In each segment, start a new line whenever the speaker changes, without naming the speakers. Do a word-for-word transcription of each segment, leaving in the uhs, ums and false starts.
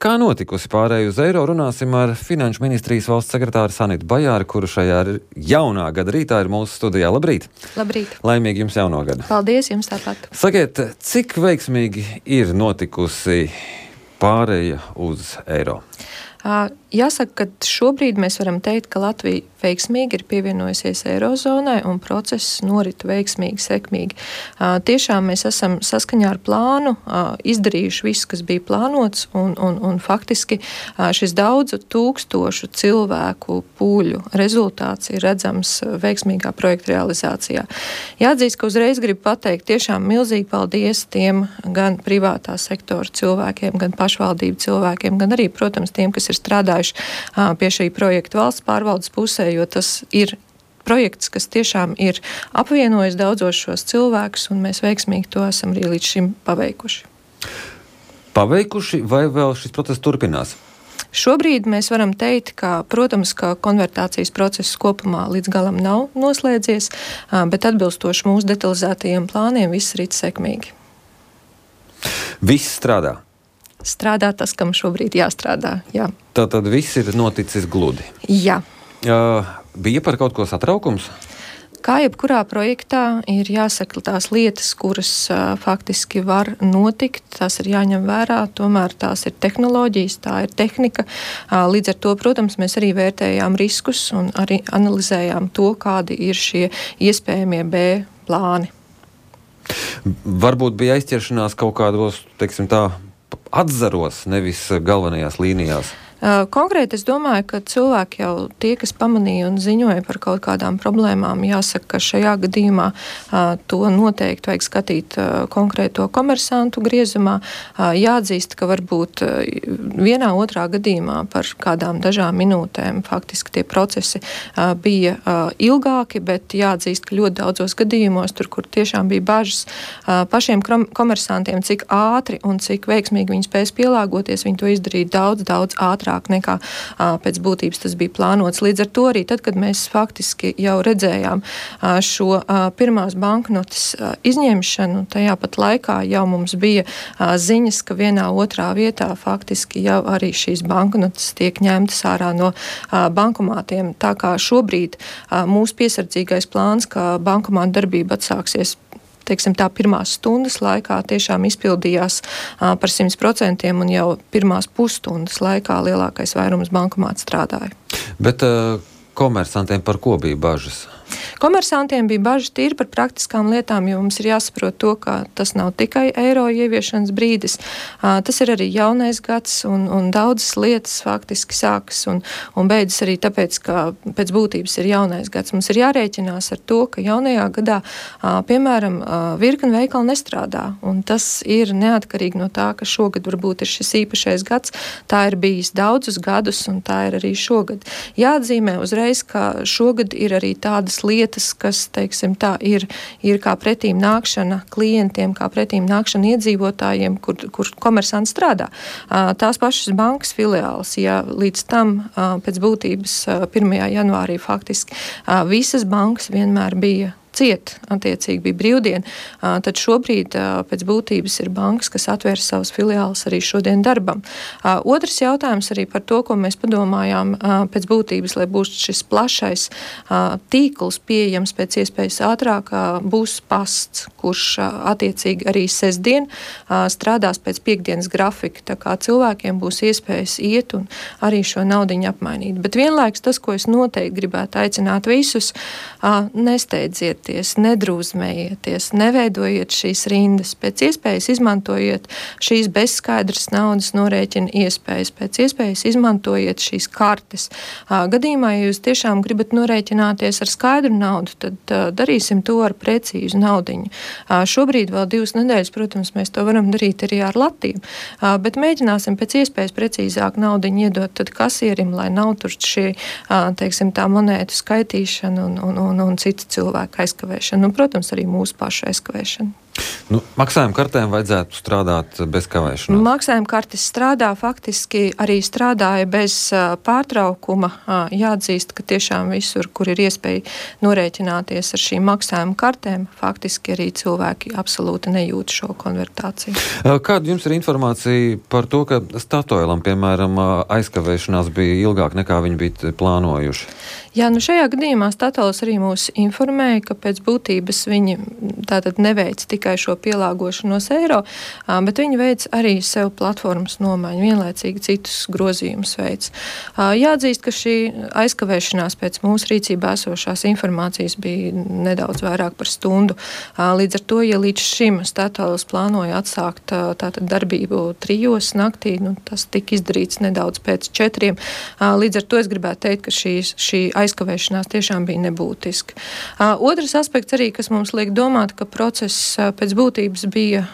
Kā notikusi pārēju uz eiro, runāsim ar Finanšu ministrijas valsts sekretāru Sanitu Bajāri, kuru šajā jaunā gada rītā ir mūsu studijā. Labrīt!
Labrīt!
Laimīgi jums jauno gadu!
Paldies jums tāpat!
Sakiet, cik veiksmīgi ir notikusi pārēja uz eiro?
Jāsaka, ka šobrīd mēs varam teikt, ka Latvija veiksmīgi ir pievienojusies eirozonai un process norit veiksmīgi, sekmīgi. Tiešām mēs esam saskaņā ar plānu izdarījuši visu, kas bija plānots, un, un, un faktiski šis daudzu tūkstošu cilvēku pūļu rezultāts ir redzams veiksmīgā projekta realizācijā. Jāatzīst, ka uzreiz gribu pateikt tiešām milzīgi paldies tiem gan privātā sektora cilvēkiem, gan pašvaldību cilvēkiem, gan arī, protams, tiem, kas ir strādājuši pie šī projekta valsts pārvaldes pusē, jo tas ir projekts, kas tiešām ir apvienojis daudzos šos cilvēkus, un mēs veiksmīgi to esam arī līdz šim paveikuši.
Paveikuši vai vēl šis process turpinās?
Šobrīd mēs varam teikt, ka, protams, ka konvertācijas process kopumā līdz galam nav noslēdzies, bet atbilstoši mūsu detalizētajiem plāniem viss rit sekmīgi.
Viss strādā?
Strādā tas, kam šobrīd jāstrādā, jā.
Tātad viss ir noticis gludi?
Jā.
Uh, bija par kaut ko satraukums?
Kā jebkurā projektā ir jāsaka tās lietas, kuras uh, faktiski var notikt, tās ir jāņem vērā, tomēr tās ir tehnoloģijas, tā ir tehnika. Uh, līdz ar to, protams, mēs arī vērtējām riskus un arī analizējām to, kādi ir šie iespējamie B plāni.
Varbūt bija aizķeršanās kaut kādos, teiksim tā, atzaros, nevis galvenajās līnijās.
Konkrēti es domāju, ka cilvēki jau tie, kas pamanīja un ziņoja par kaut kādām problēmām, jāsaka, ka šajā gadījumā to noteikti vajag skatīt konkrēto komersantu griezumā. Jāatzīst, ka varbūt vienā otrā gadījumā par kādām dažām minūtēm faktiski tie procesi bija ilgāki, bet jāatzīst, ka ļoti daudzos gadījumos, tur, kur tiešām bija bažas pašiem komersantiem, cik ātri un cik veiksmīgi viņi spēs pielāgoties, viņi to izdarīja daudz, daudz ātrāk nekā a, pēc būtības tas bija plānots. Līdz ar to arī tad, kad mēs faktiski jau redzējām a, šo a, pirmās banknotes a, izņemšanu, tajā pat laikā jau mums bija a, ziņas, ka vienā otrā vietā faktiski jau arī šīs banknotes tiek ņemtas ārā no a, bankomātiem. Tā kā šobrīd a, mūsu piesardzīgais plāns, ka bankomāta darbība atsāksies teiksim, tā pirmās stundas laikā tiešām izpildījās uh, par simt procentiem un jau pirmās pusstundas laikā lielākais vairums bankomātu strādāja.
Bet uh, komersantiem par ko bija bažas?
Komersantiem bija bažas tīri par praktiskām lietām, jo mums ir jāsaprot to, ka tas nav tikai eiro ieviešanas brīdis, uh, tas ir arī jaunais gads un, un daudzas lietas faktiski sākas un, un beidzas arī tāpēc, ka pēc būtības ir jaunais gads. Mums ir jārēķinās ar to, ka jaunajā gadā, uh, piemēram, uh, virkni veikali nestrādā, un tas ir neatkarīgi no tā, ka šogad varbūt ir šis īpašais gads, tā ir bijis daudzus gadus un tā ir arī šogad. Jāatzīmē uzreiz, ka šogad ir arī tādas lietas, kas, teiksim, tā ir, ir kā pretīm nākšana klientiem, kā pretīm nākšana iedzīvotājiem, kur, kur komersanti strādā. Tās pašas bankas filiāls, ja līdz tam pēc būtības pirmajā janvārī faktiski visas bankas vienmēr bija ciet, attiecīgi bija brīvdiena, tad šobrīd pēc būtības ir bankas, kas atvērs savus filiālus arī šodien darbam. Otrs jautājums arī par to, ko mēs padomājām pēc būtības, lai būs šis plašais tīkls pieejams pēc iespējas ātrāk, būs pasts, kurš attiecīgi arī sestdien strādās pēc piekdienas grafika, tā kā cilvēkiem būs iespējas iet un arī šo naudiņu apmainīt. Bet vienlaikus tas, ko es noteikti gribētu aicināt visus, nesteidziet, nedrūzmējieties, neveidojiet šīs rindas, pēc iespējas izmantojiet šīs bezskaidras naudas norēķina iespējas, pēc iespējas izmantojiet šīs kartes. Gadījumā, ja jūs tiešām gribat norēķināties ar skaidru naudu, tad darīsim to ar precīzu naudiņu. Šobrīd vēl divas nedēļas, protams, mēs to varam darīt arī ar latiem, bet mēģināsim pēc iespējas precīzāk naudiņu iedot tad kasierim, lai nav tur šī, teiksim, tā monētu skaitīšana un, un, un, un citu cilvēku aizkavēšana, un, protams, arī mūsu pašu aizkavēšana.
Nu, maksājuma kartēm vajadzētu strādāt bez kavēšanās.
Maksājuma kartes strādā, faktiski arī strādāja bez uh, pārtraukuma. Uh, jāatzīst, ka tiešām visur, kur ir iespēja norēķināties ar šīm maksājuma kartēm, faktiski arī cilvēki absolūti nejūt šo konvertāciju.
Kāda jums ir informācija par to, ka Statoilam, piemēram, aizkavēšanās bija ilgāk nekā viņi bija plānojuši?
Jā, nu šajā gadījumā Statoils arī mūs informēja, ka pēc būtības viņi tātad neveic tikai šo pielāgošanos eiro, bet viņi veic arī sev platformas nomaiņu, vienlaicīgi citus grozījumus veic. Jāatzīst, ka šī aizkavēšanās pēc mūsu rīcībā esošās informācijas bija nedaudz vairāk par stundu. Līdz ar to, ja līdz šim Statoils plānoja atsākt tātad darbību trijos naktī, nu, tas tika izdarīts nedaudz pēc četriem. Līdz ar to es gribētu teikt, ka šī, šī aizkavēšanās tiešām bija nebūtiska. Otrs aspekts arī, kas mums liek domāt, ka process pēc būtības bija,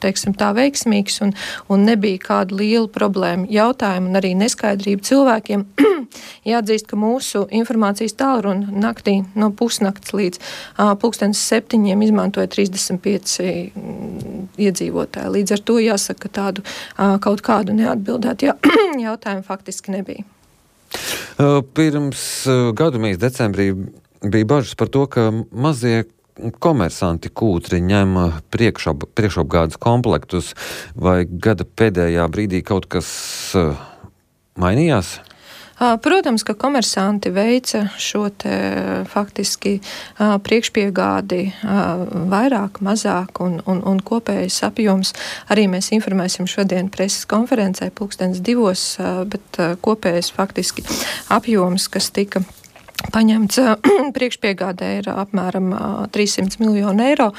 teiksim tā, veiksmīgs un, un nebija kāda liela problēma jautājumu un arī neskaidrība cilvēkiem. Jāatzīst, ka mūsu informācijas tālruna naktī no pusnakts līdz uh, pulkstenes septiņiem izmantoja trīsdesmit pieci iedzīvotāji. Līdz ar to jāsaka, ka tādu uh, kaut kādu neatbildētu jautājumu faktiski nebija.
Pirms gadu mēs decembrī bija bažas par to, ka mazie komersanti kūtri ņem priekšap, priekšapgādes komplektus, vai gada pēdējā brīdī kaut kas mainījās?
Protams, ka komersanti veica šo te faktiski priekšpiegādi vairāk, mazāk un, un, un kopējais apjoms. Arī mēs informēsim šodien preses konferencē pulkstens divos, bet kopējais faktiski apjoms, kas tika paņemts priekšpiegādē ir apmēram trīssimt miljonu eiro.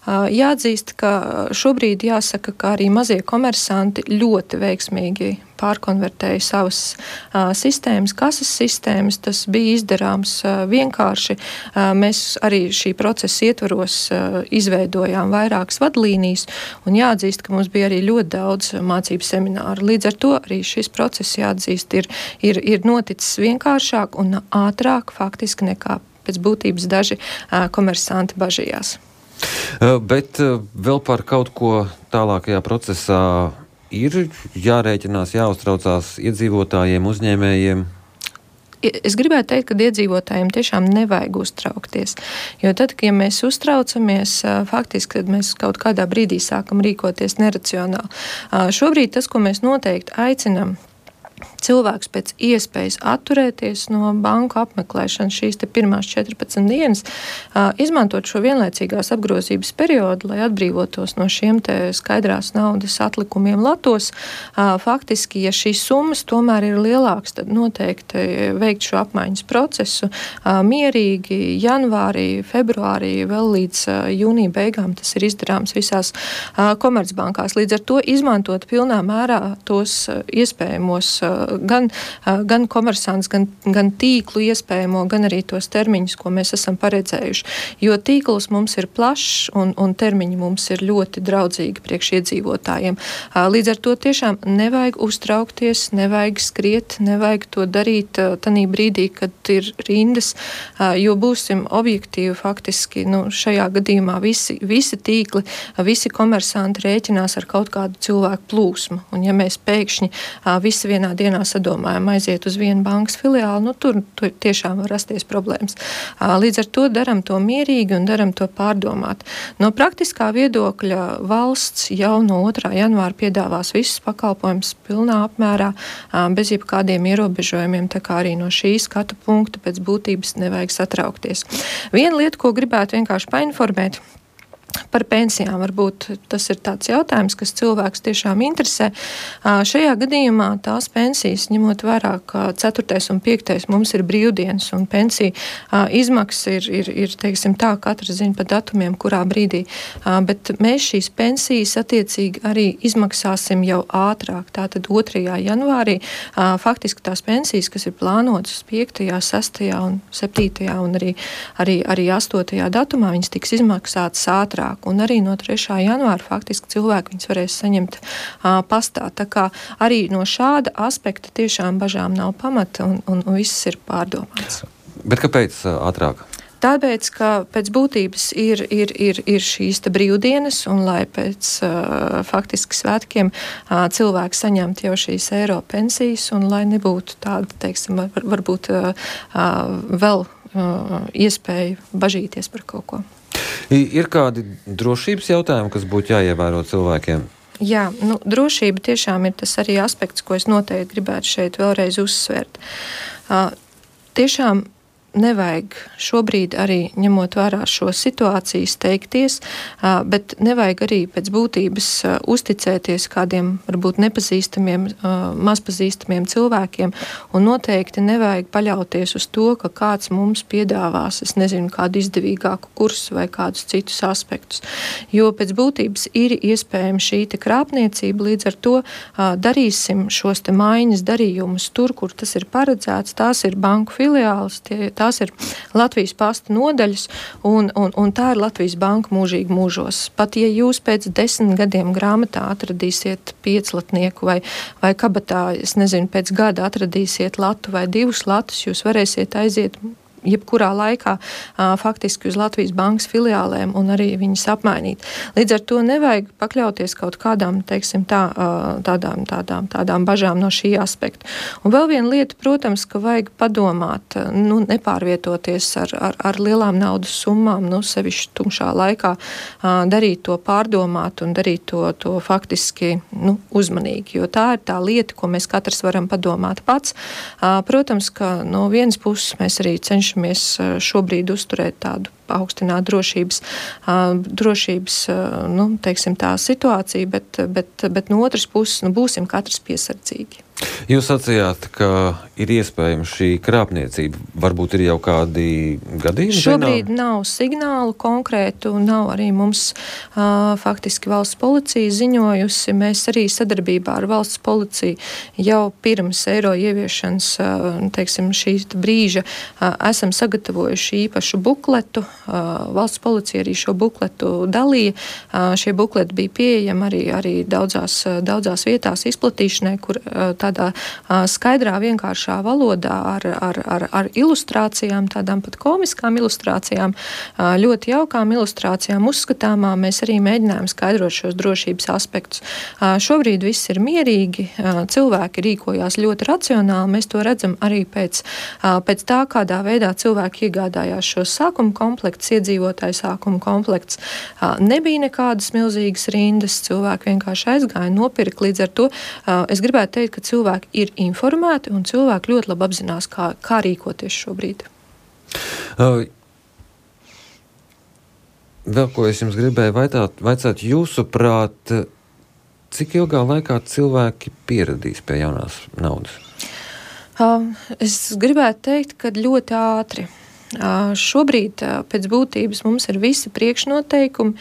Jāatzīst, ka šobrīd jāsaka, ka arī mazie komersanti ļoti veiksmīgi pārkonvertēja savas uh, sistēmas, kases sistēmas. Tas bija izdarāms uh, vienkārši. Uh, mēs arī šī procesa ietvaros uh, izveidojām vairākas vadlīnijas, un jāatzīst, ka mums bija arī ļoti daudz mācību semināru. Līdz ar to arī šis process, jāatzīst, ir, ir, ir noticis vienkāršāk un ātrāk faktiski nekā pēc būtības daži uh, komersanti bažījās.
Uh, bet uh, vēl par kaut ko tālākajā procesā ir jārēķinās, jāuztraucās iedzīvotājiem, uzņēmējiem?
Es gribētu teikt, ka iedzīvotājiem tiešām nevajag uztraukties, jo tad, kad mēs uztraucamies, faktiski, tad mēs kaut kādā brīdī sākam rīkoties neracionāli. Šobrīd tas, ko mēs noteikti aicinam cilvēks pēc iespējas atturēties no banku apmeklēšanas šīs te pirmās četrpadsmit dienas, izmantot šo vienlaicīgās apgrozības periodu, lai atbrīvotos no šiem te skaidrās naudas atlikumiem latos. Faktiski, ja šīs summas tomēr ir lielākas, tad noteikti veikt šo apmaiņas procesu mierīgi janvārī, februārī, vēl līdz jūnija beigām tas ir izdarāms visās komercbankās. Līdz ar to izmantot pilnā mērā tos iespējamos gan, gan komersants, gan, gan tīklu iespējamo, gan arī tos termiņus, ko mēs esam paredzējuši. Jo tīkls mums ir plašs un, un termiņi mums ir ļoti draudzīgi priekš iedzīvotājiem. Līdz ar to tiešām nevajag uztraukties, nevajag skriet, nevajag to darīt tanī brīdī, kad ir rindas, jo būsim objektīvi faktiski, nu, šajā gadījumā visi, visi tīkli, visi komersanti rēķinās ar kaut kādu cilvēku plūsmu. Un ja mēs pēkšņi visi vienā dienā sadomājam aiziet uz vienu bankas filiāli, nu tur, tur tiešām var rasties problēmas. Līdz ar to daram to mierīgi un daram to pārdomāt. No praktiskā viedokļa valsts jau no otrā janvāra piedāvās visus pakalpojumus pilnā apmērā, bez jebkādiem ierobežojumiem, tā kā arī no šī skatu punkta pēc būtības nevajag satraukties. Viena lieta, ko gribētu vienkārši painformēt, par pensijām varbūt tas ir tāds jautājums, kas cilvēks tiešām interesē. Šajā gadījumā tās pensijas, ņemot vērā, ka ceturtais un piektais mums ir brīvdienas un pensija izmaksas ir, ir, ir teiksim tā, katrs zina pa datumiem, kurā brīdī, bet mēs šīs pensijas attiecīgi arī izmaksāsim jau ātrāk. Tātad otrajā janvārī faktiski tās pensijas, kas ir plānotas piektajā, sestajā un septītajā un arī, arī, arī astotajā datumā, viņas tiks izmaksātas ātrāk. Un arī no trešā janvāra faktiski cilvēki viņas varēs saņemt uh, pastā. Tā kā arī no šāda aspekta tiešām bažām nav pamata un, un, un viss ir pārdomāts.
Bet kāpēc uh, ātrāk?
Tāpēc, ka pēc būtības ir, ir, ir, ir šīs te brīvdienas, un lai pēc uh, faktiski svētkiem uh, cilvēki saņemtu jau šīs eiro pensijas, un lai nebūtu tāda, teiksim, var, varbūt uh, uh, vēl uh, iespēja bažīties par kaut ko.
Ir kādi drošības jautājumi, kas būtu jāievēro cilvēkiem?
Jā, nu, drošība tiešām ir tas arī aspekts, ko es noteikti gribētu šeit vēlreiz uzsvērt. Uh, tiešām nevajag šobrīd arī ņemot vērā šo situāciju steigties, bet nevajag arī pēc būtības uzticēties kādiem varbūt nepazīstamiem, mazpazīstamiem cilvēkiem, un noteikti nevajag paļauties uz to, ka kāds mums piedāvās, es nezinu, kādu izdevīgāku kursu vai kādus citus aspektus. Jo pēc būtības ir iespējama šī te krāpniecība, līdz ar to darīsim šos te maiņas darījumus tur, kur tas ir paredzēts, tās ir banku filiāles, tie tās ir Latvijas pasta nodaļas, un, un, un tā ir Latvijas banka mūžīgi mūžos. Pat ja jūs pēc desmit gadiem grāmatā atradīsiet pieclatnieku vai, vai kabatā, es nezinu, pēc gada atradīsiet latu vai divus latus, jūs varēsiet aiziet jebkurā laikā uh, faktiski uz Latvijas bankas filiālēm un arī viņas apmainīt. Līdz ar to nevajag pakļauties kaut kādām, teiksim, tā, uh, tādām, tādām, tādām bažām no šī aspekta. Un vēl viena lieta, protams, ka vajag padomāt, nu, nepārvietoties ar, ar, ar lielām naudas summām, nu, sevišķi tumšā laikā, uh, darīt to pārdomāt un darīt to, to faktiski, nu, uzmanīgi, jo tā ir tā lieta, ko mēs katrs varam padomāt pats. Uh, protams, ka no vienas puses mēs arī cenšamies mēs šobrīd uzturēt tādu paaugstināt drošības, drošības nu, teiksim, tā situāciju, bet, bet, bet no otras puses nu, būsim katrs piesardzīgi.
Jūs sacījāt, ka ir iespējama šī krāpniecība. Varbūt ir jau kādi gadījumi?
Šobrīd zināmi? Nav signālu konkrētu, nav arī mums uh, faktiski valsts policija ziņojusi. Mēs arī sadarbībā ar valsts policiju jau pirms eiro ieviešanas, uh, teiksim, šī brīža uh, esam sagatavojuši īpašu bukletu. Uh, valsts policija arī šo bukletu dalīja. Uh, šie bukleti bija pieejami arī, arī daudzās, daudzās vietās izplatīšanai, kur uh, tādā uh, skaidrā, vienkāršā valodā ar, ar, ar, ar ilustrācijām, tādām pat komiskām ilustrācijām, uh, ļoti jaukām ilustrācijām, uzskatāmām, mēs arī mēģinājām skaidrot šos drošības aspektus. Uh, šobrīd viss ir mierīgi, uh, cilvēki rīkojās ļoti racionāli, mēs to redzam arī pēc, uh, pēc tā, kādā veidā cilvēki iegādājās šos sākuma komplekts, iedzīvotāju sākuma komplekts. Uh, nebija nekādas milzīgas rindas, cilvēki vienkārši aizgāja, nopirka, līdz ar to uh, es gribētu teikt, ka cilvēki ir informēti un cilvēki ļoti labi apzinās, kā, kā rīkoties šobrīd.
Uh, vēl ko es jums gribēju vaicāt, vaicāt jūsuprāt, cik ilgā laikā cilvēki pieradīs pie jaunās naudas?
Uh, es gribētu teikt, ka ļoti ātri. Uh, šobrīd uh, pēc būtības mums ir visi priekšnoteikumi.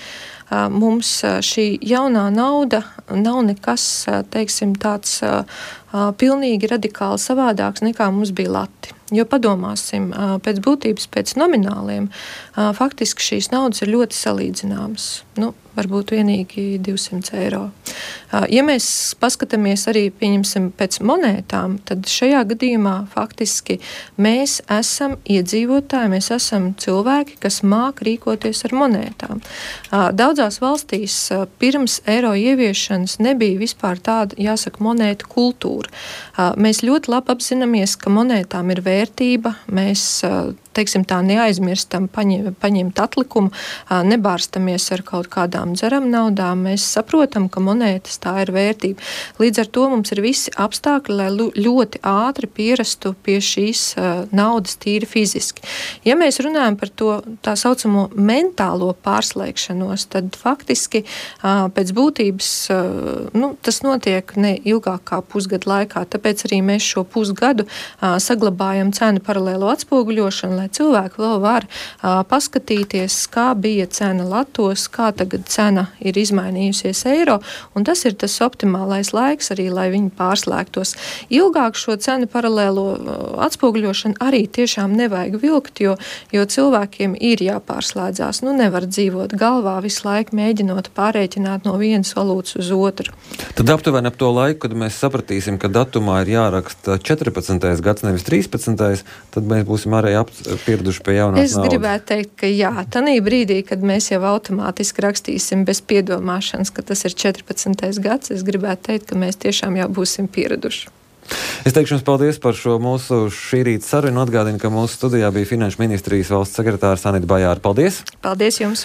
Uh, mums uh, šī jaunā nauda nav nekas, uh, teiksim, tāds uh, uh, pilnīgi radikāli savādāks nekā mums bija lati. Jo padomāsim, uh, pēc būtības, pēc nomināliem, uh, faktiski šīs naudas ir ļoti salīdzināmas. Nu, varbūt vienīgi divsimt eiro. Uh, ja mēs paskatāmies arī, pieņemsim, pēc monētām, tad šajā gadījumā faktiski mēs esam iedzīvotāji, mēs esam cilvēki, kas māk rīkoties ar monētām. Uh, daudzās valstīs uh, pirms eiro ieviešanas nebija vispār tāda, jāsaka, monētu kultūra. Uh, mēs ļoti labi apzināmies, ka monētām ir vērtība, mēs uh, teiksim tā, neaizmirstam paņem, paņemt atlikumu, nebārstamies ar kaut kādām dzeram naudām, mēs saprotam, ka monētas tā ir vērtība. Līdz ar to mums ir visi apstākļi, lai ļoti ātri pierastu pie šīs naudas tīri fiziski. Ja mēs runājam par to tā saucamo mentālo pārslēgšanos, tad faktiski pēc būtības nu, tas notiek ne ilgāk kā pusgadu laikā, tāpēc arī mēs šo pusgadu saglabājam cenu paralēlo atspoguļošanu, lai cilvēki vēl var uh, paskatīties, kā bija cena latos, kā tagad cena ir izmainījusies eiro, un tas ir tas optimālais laiks arī, lai viņi pārslēgtos. Ilgāk šo cenu paralēlo uh, atspoguļošanu arī tiešām nevajag vilkt, jo, jo cilvēkiem ir jāpārslēdzās. Nu, nevar dzīvot galvā visu laiku mēģinot pārēķināt no vienas valūtas uz otru.
Tad aptuveni ap to laiku, kad mēs sapratīsim, ka datumā ir jāraksta četrpadsmitais gads, nevis trīspadsmitais, tad mēs būsim arī ap, pieraduši pie jaunās
es naudas? Es gribētu teikt, ka jā, tanī brīdī, kad mēs jau automātiski rakstīsim bez piedomāšanas, ka tas ir četrpadsmitais gads, es gribētu teikt, ka mēs tiešām jau būsim pieraduši.
Es teikšu jums paldies par šo mūsu šī rīta sarunu. Atgādinu, ka mūsu studijā bija Finanšu ministrijas valsts sekretārs Anita Bajāra. Paldies!
Paldies jums!